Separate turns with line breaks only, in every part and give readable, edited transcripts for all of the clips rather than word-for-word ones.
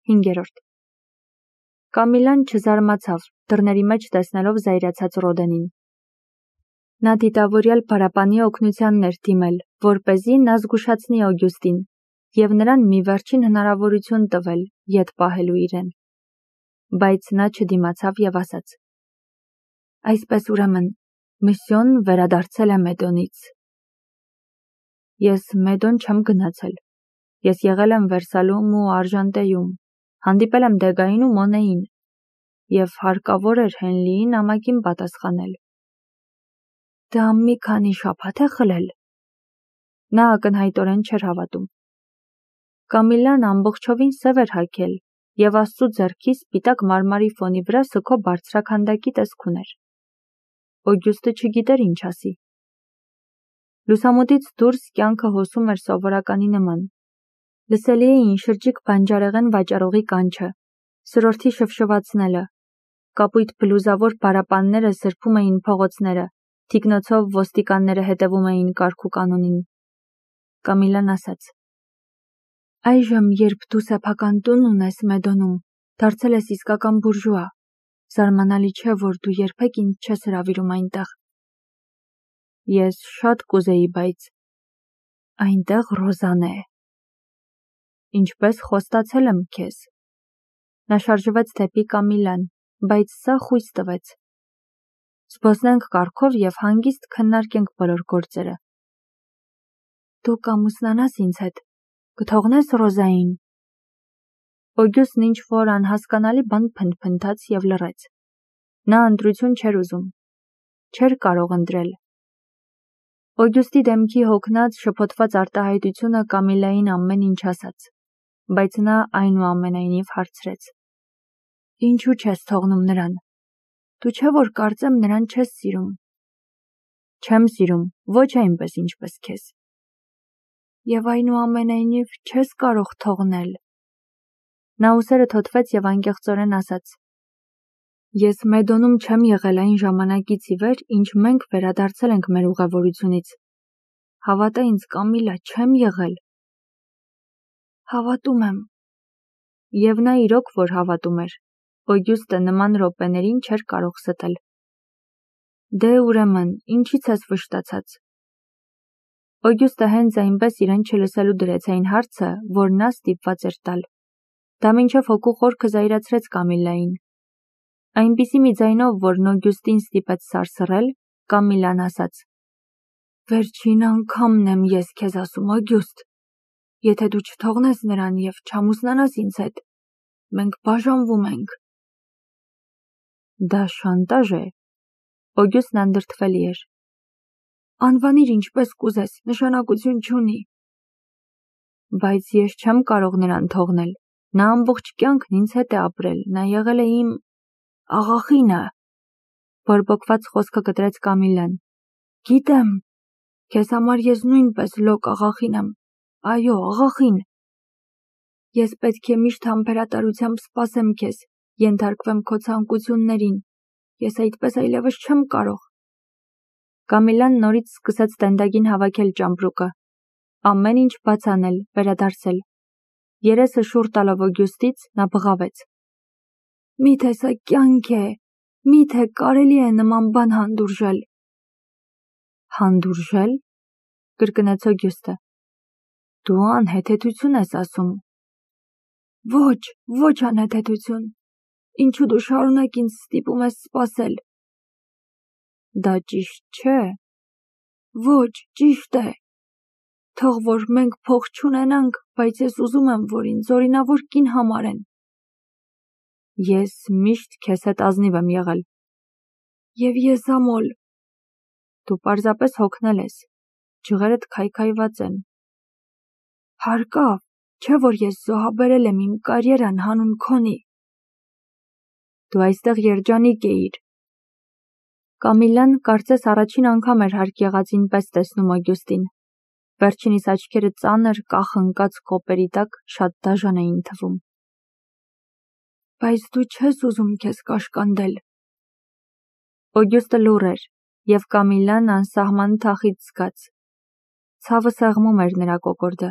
5. Կամիլան չզարմացավ, դռների մեջ տեսնելով զայրացած Ռոդենին։ Նա դիտավորյալ պարապանի օգնությանն էր դիմել, որպեսզի նա զգուշացնի Օգյուստին և նրան մի վերջին հնարավորություն տվել ետ պահելու իրեն։ Բայց նա չդիմացավ և ասաց. «Այսպես ուրեմն, միսիոնն վերադարձել է Մեդոնից»։ Ես Մեդոն չեմ գնացել։ Ես եղել եմ Վերսալում ու Արժանտեյում, հանդիպել եմ Դեգային ու Մոնեին, և հարկավոր էր Հենլիի նամակին պատասխանել։ Դա մի քանի շաբաթ է խլել։ Նա ակնհայտորեն չէր հավատում։ Կամիլան ամբողջովին սև էր հագել և Աստծու ձեռքի սպիտակ մարմարի ֆոնի վրա սգո բարձրաքանդակի տեսք ուներ։ Օգյուստը չգիտեր ինչ ասի։ Լուսամուտից դուրս կյանքը հոսում էր սովորականի նման։ Լսելի էին շրջիկ բանջարեղեն վաճառողի կանչը, սրորդի շվշվացնելը, կապույտ բլուզավոր պարապանները սրբում էին փողոցները, թիկնոցով ոստիկանները հետևում էին կարգ ու կանոնին։ Կամիլան ասաց. «Այժմ, երբ դու սեփական տուն ունես Մեդոնում, դարձել ես իսկական բուրժուա, զարմանալի չէ, որ դու երբեք ինձ չես հրավիրում այնտեղ»։ Ես շատ կուզեի, բայց այնտեղ Ռոզան է։ Ինչպես խոստացել եմ քեզ։ Նա շարժվեց դեպի Կամիլան, բայց սա խույս տվեց։ Զբոսնենք կառքով և հանգիստ քննարկենք բոլոր գործերը։ Դու կամուսնանաս ինձ հետ, կթողնես Ռոզային։ Օգյուստն ինչ-որ անհասկանալի բան փնթփնթաց և լռեց։ Նա ընտրություն չէր ուզում։ Չէր կարող ընտրել։ Օգյուստի դեմքի հոգնած, շփոթված արտահայտությունը Կամիլային ամեն ինչ ասաց, բայց նա այնուամենայնիվ հարցրեց. «Ինչու չես թողնում նրան։ Դու չէ՞ որ կարծեմ նրան չես սիրում»։ Չեմ սիրում, ոչ այնպես, ինչպես քեզ։ Եվ այնուամենայնիվ չես կարող թողնել։ Նա ուսերը թոթվեց և անկեղծորեն ասաց. Ես Մեդոնում չեմ եղել այն ժամանակից ի վեր, ինչ մենք վերադարձել ենք մեր ուղևորությունից։ Հավատա ինձ, Կամիլա, չեմ եղել։ Հավատում եմ։ Եվ նա իրոք որ հավատում էր։ Օգյուստը նման րոպեներին չէր կարող ստել։ Դե ուրեմն, ինչի՞ց ես վշտացած։ Օգյուստը հենց այնպես իրեն չլսելու դրեց այն հարցը, որ նա ստիպված էր տալ։ Դա մինչև հոգու խորքը զայրացրեց Կամիլային։ Այնպիսի մի ձայնով, որն Օգյուստին ստիպեց սարսռել, Կամիլան ասաց. «Վերջին անգամն եմ ես քեզ ասում, Օգյուստ։ Եթե դու չթողնես նրան և չամուսնանաս ինձ հետ, մենք բաժանվում ենք»։ Դա շանտաժ է։ Օգյուստն անդրդվելի էր։ Անվանիր ինչպես կուզես, նշանակություն չունի։ Բայց ես չեմ կարող նրան թողնել։ Նա ամբողջ կյանքն ինձ հետ է ապրել, նա եղել է իմ աղախինը։ Բորբոքված խոսքը կտրեց Կամիլան։ Գիտեմ, քեզ համար ես նույնպես լոկ աղախին եմ։ Այո, աղախին։ Ես պետք է միշտ համբերատարությամբ սպասեմ քեզ, ենթարկվեմ քո ցանկություններին։ Ես այդպես այլևս չեմ կարող։ Կամիլան նորից սկսեց տենդագին հավաքել ճամպրուկը։ Ամեն ինչ բաց անել, վերադարձել։ Երեսը շուռ տալով Օգյուստից, նա բղավեց. Միթե սա կյանք է, միթե կարելի է նման բան հանդուրժել։ Հանդուրժել, կրկնեց Օգյուստը։ Դու անհեթեթություն ես ասում։ Ոչ անհեթեթություն։ Ինչու դու շարունակ ինձ ստիպում ես սպասել։ Դա ճիշտ չէ։ Ոչ, ճիշտ է։ Թող որ մենք փող չունենանք, բայց ես ուզում եմ, որ ինձ օրինավոր կին համարեն։ Ես միշտ քեզ հետ ազնիվ եմ եղել։ Եվ ես ամոլ։ Դու պարզապես հոգնել ես։ Ջղերդ քայքայված են։ Հարկավ, չէ որ ես զոհաբերել եմ իմ կարիերան հանուն քոնի։ Դու այստեղ երջանիկ էիր։ Կամիլան կարծես առաջին անգամ էր հարկ եղածին պես տեսնում Օգյուստին։ Վերջինիս աչքերը ծանր, կախ-ընկած կոպերի տակ շատ դաժան էին թվում։ Բայց դու չես ուզում քեզ կաշկանդել։ Օգյուստը լուռ էր, և Կամիլան անսահման թախիծ զգաց։ Ցավը սեղմում էր նրա կոկորդը։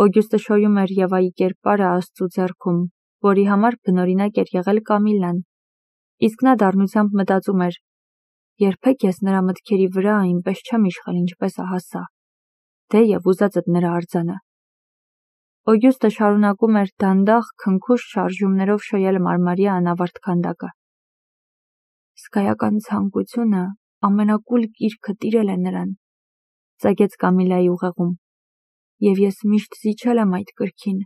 Օգյուստը շոյում էր Եվայի կերպարը Աստծու ձեռքում, որի համար բնօրինակ էր եղել Կամիլլան, իսկ նա դառնությամբ մտածում էր. երբեք ես նրա մտքերի վրա այնպես չեմ իշխել, ինչպես ահա սա, թեև ուզածդ նրա արձանը։ Օգյուստը շարունակում էր դանդաղ քնքուշ շարժումներով շոյել մարմարյա անավարտ քանդակը։ Սկայական ցանկությունը ամենակուլ կիրքը տիրել է նրան, ծագեց Կամիլայի ուղեղում, և ես միշտ զիջել եմ այդ կրքին։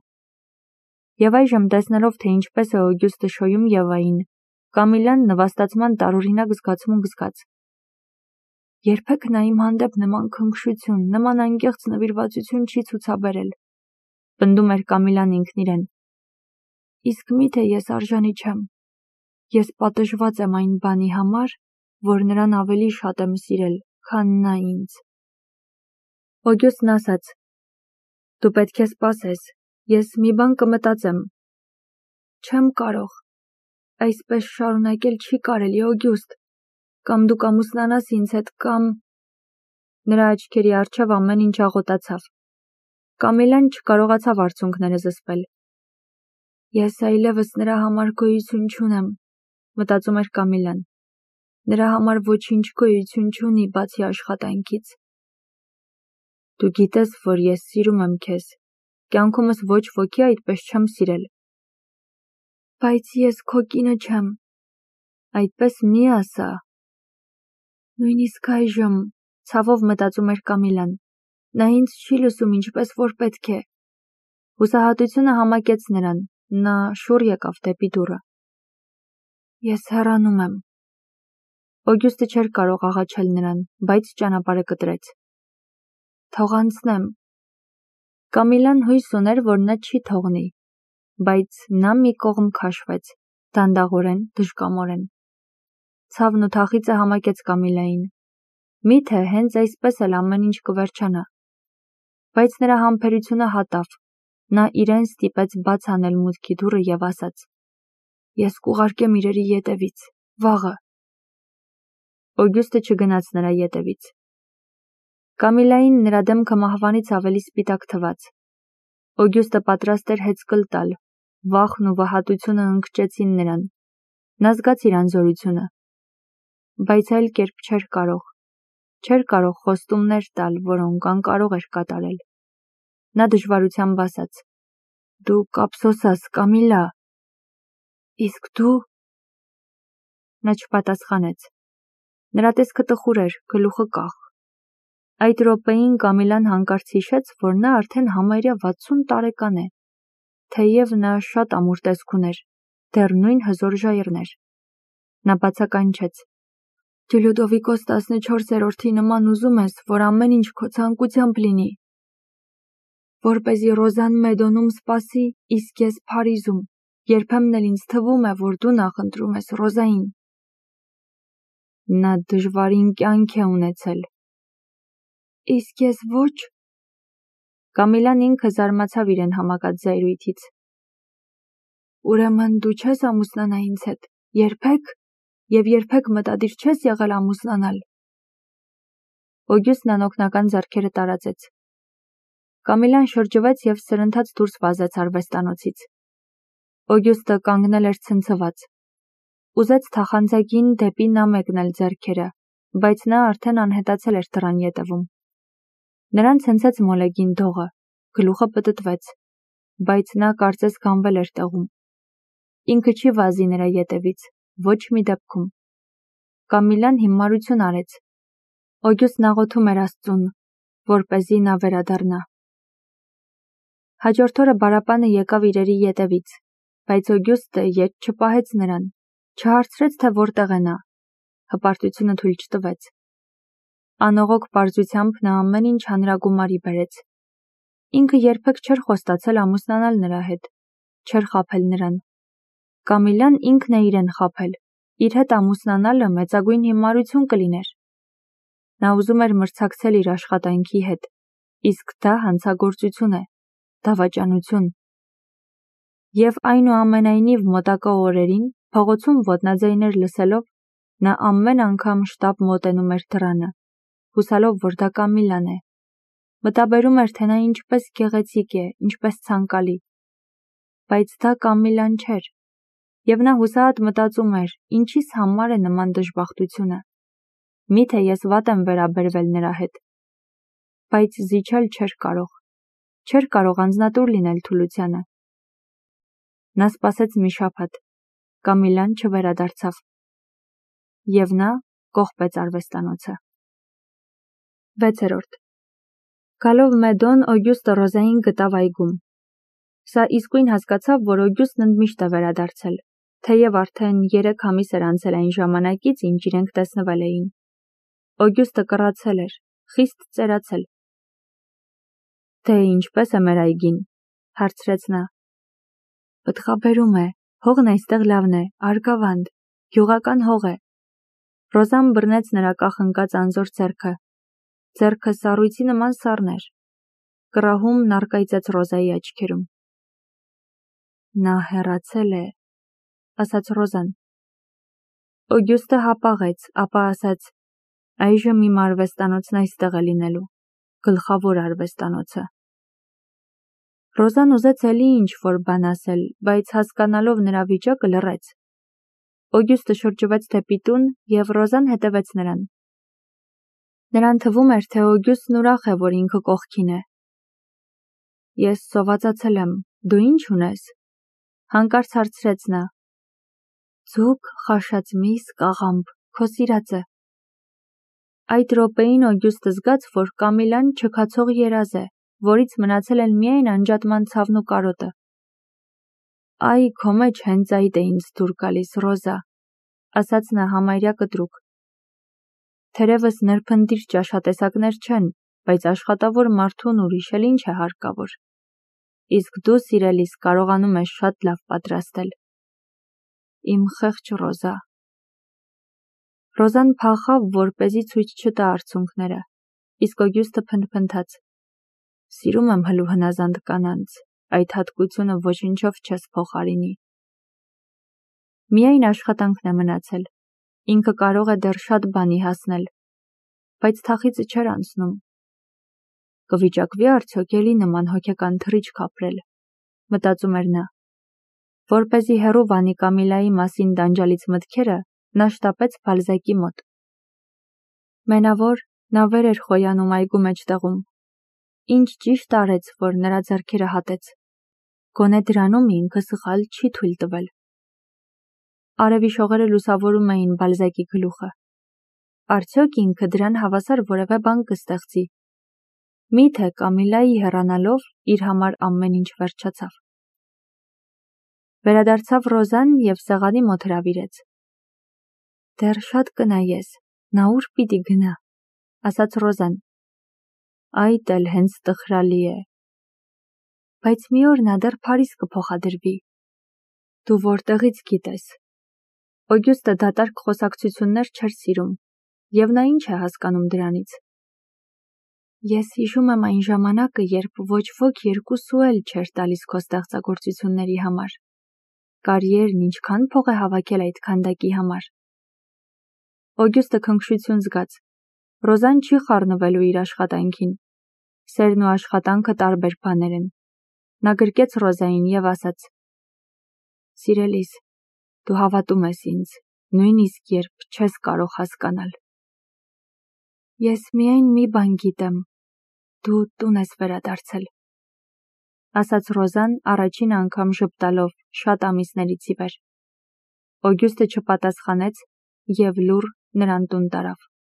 Եվ այժմ տեսնելով, թե ինչպես է Օգյուստը շոյում Եվային, Կամիլլան նվաստացման տարօրինակ զգացմունք զգաց։ Երբեք նա իմ հանդեպ նման քնքշություն, նման անկեղծ նվիրվածություն չի ցուցաբերել, պնդում էր Կամիլլան ինքն իրեն։ Իսկ միթե ես արժանի չեմ։ Ես պատժված եմ այն բանի համար, որ նրան ավելի շատ եմ սիրել, քան նա ինձ։ Օգյուստն ասաց. Դու պետք է սպասես, ես մի բան կմտածեմ։ Չեմ կարող։ Այսպես շարունակել չի կարելի, Օգյուստ։ Կամ դու կամուսնանաս ինձ հետ, կամ… Նրա աչքերի առջև ամեն ինչ աղոտացավ։ Կամիլլան չկարողացավ արցունքները զսպել։ Ես այլևս նրա համար գոյություն չունեմ, մտածում էր Կամիլլան։ Նրա համար ոչինչ գոյություն չունի, բացի աշխատանքից։ Դու գիտես, որ ես սիրում եմ քեզ, կյանքումս ոչ ոքի այդպես չեմ սիրել։ Բայց ես քո կինը չեմ, այդպես մի ասա։ Նույնիսկ այժմ, ցավով մտածում էր Կամիլլան, նա ինձ չի լսում ինչպես որ պետք է։ Հուսահատությունը համակեց նրան, նա շուռ եկավ դեպի դուռը։ Ես հեռանում եմ։ Օգյուստը չէր կարող աղաչել նրան, բայց ճանապարհը կտրեց։ Թող անցնեմ։ Կամիլլան հույս ուներ, որ նա չի թողնի, բայց նա մի կողմ քաշվեց, դանդաղորեն, դժկամորեն։ Ցավն ու թախիծը համակեց Կամիլլային։ Միթե հենց այսպես էլ ամեն ինչ կվերջանա։ Բայց նրա համբերությունը հատավ։ Նա իրեն ստիպեց բաց անել մուտքի դուռը և ասաց. Ես կուղարկեմ իրերի ետևից, վաղը։ Օգյուստը չգնաց նրա ետևից։ Կամիլլային նրա դեմքը մահվանից ավելի սպիտակ թվաց։ Օգյուստը պատրաստ էր հեծկլ տալ, վախն ու վհատությունը ընկճեցին նրան։ Նա զգաց իր անզորությունը։ Բայց այլ կերպ չէր կարող խոստումներ տալ, որոնք անկարող էր կատարել։ Նա դժվարությամբ ասաց. Դու կափսոսաս, Կամիլլա։ Իսկ դու… Նա չպատասխանեց։ Նրա տեսքը տխուր էր, գլուխը կախ։ Այդ րոպեին Կամիլլան հանկարծ հիշեց, որ նա արդեն համարյա 60 տարեկան է, թեև նա շատ ամուր տեսք ուներ, դեռ նույն հզոր ժայռներ։ Նա բացականչեց. Դու Լյուդովիկոս 14-րդի նման ուզում ես, որ ամեն ինչ քո ցանկությամբ լինի, որպեսզի Ռոզան Մեդոնում սպասի, իսկ ես Փարիզում, երբեմն էլ ինձ թվում է, որ դու նախընտրում ես Ռոզային։ Նա դժվարին կյանք է ունեցել։ Իսկ ես ոչ… Կամիլլան ինքը զարմացավ իրեն համակած զայրույթից։ Ուրեմն դու չես ամուսնանա ինձ հետ, երբեք, և երբեք մտադիր չես եղել ամուսնանալ։ Օգյուստն անօգնական ձեռքերը տարածեց։ Կամիլլան շրջվեց և սրընթաց դուրս վազեց արվեստանոցից։ Օգյուստը կանգնել էր ցնցված։ Ուզեց թախանձագին դեպի նա մեկնել ձեռքերը, բայց նա արդեն անհետացել էր դռան ետևում։ Նրան ցնցեց մոլեգին դողը, գլուխը պտտվեց, բայց նա կարծես գանվել էր տեղում։ Ինքը չի վազի նրա ետևից, ոչ մի դեպքում։ Կամիլլան հիմարություն արեց։ Օգյուստն աղոթում էր Աստծուն, որպեսզի նա վերադառնա։ Հաջորդ օրը բարապանը եկավ իրերի ետևից, բայց Օգյուստը ետ չպահեց նրան, չհարցրեց, թե որտեղ է նա։ Հպարտությունը թույլ չտվեց։ Անողոք պարզությամբ նա ամեն ինչ հանրագումարի բերեց։ Ինքը երբեք չէր խոստացել ամուսնանալ նրա հետ, չէր խաբել նրան։ Կամիլլան ինքն է իրեն խաբել, իր հետ ամուսնանալը մեծագույն հիմարություն կլիներ։ Նա ուզում էր մրցակցել իր աշխատանքի հետ, իսկ դա հանցագործություն է, դավաճանություն։ Եվ այնուամենայնիվ մոտակա օրերին, փողոցում ոտնաձայներ լսելով, նա ամեն անգամ շտապ մոտենում էր դռանը, հուսալով, որ դա Կամիլլան է։ Մտաբերում էր, թե նա ինչպես գեղեցիկ է, ինչպես ցանկալի։ բայց դա Կամիլան չէր, և նա հուսահատ մտածում էր, ինչիս համար է նման դժբախտությունը, միթե ես վատ եմ վերաբերվել նրա հետ, բայց զիջել չէր կարող անձնատուր լինել թուլությանը։ Նա սպասեց մի շաբաթ, Կամիլան չվերադարձավ, և նա կողպեց արվեստանոցը։ 6. Գալով Մեդոն, Օգյուստը Ռոզային գտավ այգում։ Սա իսկույն հասկացավ, որ Օգյուստն ընդմիշտ է վերադարձել, թեև արդեն 3 ամիս էր անցել այն ժամանակից, ինչ իրենք տեսնվել էին։ Օգյուստը կռացել էր, խիստ ծերացել։ «Դե ինչպես է մեր այգին», հարցրեց նա։ «Պտղաբերում է, հողն այստեղ լավն է, արգավանդ, գյուղական հող է»։ Ռոզան բռնեց նրա կախնկած անզոր ձեռքը։ Ձեռքը սառույցի նման սառն էր։ Կռահումն առկայծեց Ռոզայի աչքերում։ «Նա հեռացել է», ասաց Ռոզան։ Օգյուստը հապաղեց, ապա ասաց. «Այժմ իմ արվեստանոցն այստեղ է լինելու, գլխավոր արվեստանոցը»։ Ռոզան ուզեց էլի ինչ-որ բան ասել, բայց հասկանալով նրա վիճակը լռեց։ Օգյուստը շրջվեց դեպի տուն, և Ռոզան հետևեց նրան։ Նրան թվում էր, թե Օգյուստն ուրախ է, որ ինքը կողքին է։ «Ես սովածացել եմ, դու ինչ ունես»։ Հանկարծ հարցրեց նա։ «Ձուկ, խաշած միս, կաղամբ, քո սիրածը»։ Այդ րոպեին Օգյուստը զգաց, որ Կամիլան չքացող երազ է, որից մնացել են միայն անջատման ցավն ու կարոտը։ «Այ, քո մեջ հենց այդ է ինձ դուր գալիս, Ռոզա», ասաց նա համարյա կտրուկ։ «Թերևս նրբնդիր ճաշատեսակներ չեն, բայց աշխատավոր մարդուն ուրիշ էլ ինչ է հարկավոր։ Իսկ դու, սիրելիս, կարողանում ես շատ լավ պատրաստել։ Իմ խեղճ Ռոզա»։ Ռոզան փախավ, որպեսզի ցույց չտա արցունքները, իսկ Օգյուստը փնթփնթաց. «Սիրում եմ հլու հնազանդ կանանց, այդ հատկությունը ոչնչով չես փոխարինի»։ Միայն աշխատանքն է մնացել։ Ինքը կարող է դեռ շատ բանի հասնել, բայց թախիծը չէր անցնում։ Կվիճակվի արդյոք էլի նման հոգեկան թռիչք ապրել, մտածում էր նա։ Որպեսզի հեռու վանի Կամիլայի մասին տանջալից մտքերը, նա շտապեց Բալզակի մոտ։ Մենավոր, նա վեր էր խոյանում այգու մեջտեղում։ Ինչ ճիշտ արեց, որ նրա ձեռքերը հատեց։ Գոնե դրանում ինքը սխալ չի թույլ տվել։ Արևի շողերը լուսավորում էին Բալզակի գլուխը։ Արդյոք ինքը դրան հավասար որևէ բան կստեղծի։ Միթե Կամիլայի հեռանալով իր համար ամեն ինչ վերջացավ։ Վերադարձավ Ռոզան և սեղանի մոտ հրավիրեց։ «Դեռ շատ կնայես, նա ուր պիտի գնա», ասաց Ռոզան։ «Այդ էլ հենց տխրալի է»։ «Բայց մի օր նա դեռ Փարիզ կփոխադրվի»։ «Դու որտեղից գիտես»։ Օգյուստը դատարկ խոսակցություններ չէր սիրում, և նա ինչ է հասկանում դրանից։ «Ես հիշում եմ այն ժամանակը, երբ ոչ ոք երկուսու էլ չէր տալիս քո ստեղծագործությունների համար։ Կարիերն ինչքան փող է հավաքել այդ քանդակի համար»։ Օգյուստը քնքշություն զգաց։ Ռոզան չի խառնվելու իր աշխատանքին։ Սերն ու աշխատանքը տարբեր բաներ են։ Նա գրկեց Ռոզային և ասաց. «Սիրելիս, դու հավատում ես ինձ, նույնիսկ երբ չես կարող հասկանալ»։ «Ես միայն մի բան գիտեմ, դու տուն ես վերադարձել», ասաց Ռոզան առաջին անգամ ժպտալով շատ ամիսներից ի վեր։ Օգյուստը չպատասխանեց և լուռ նրան տուն տարավ։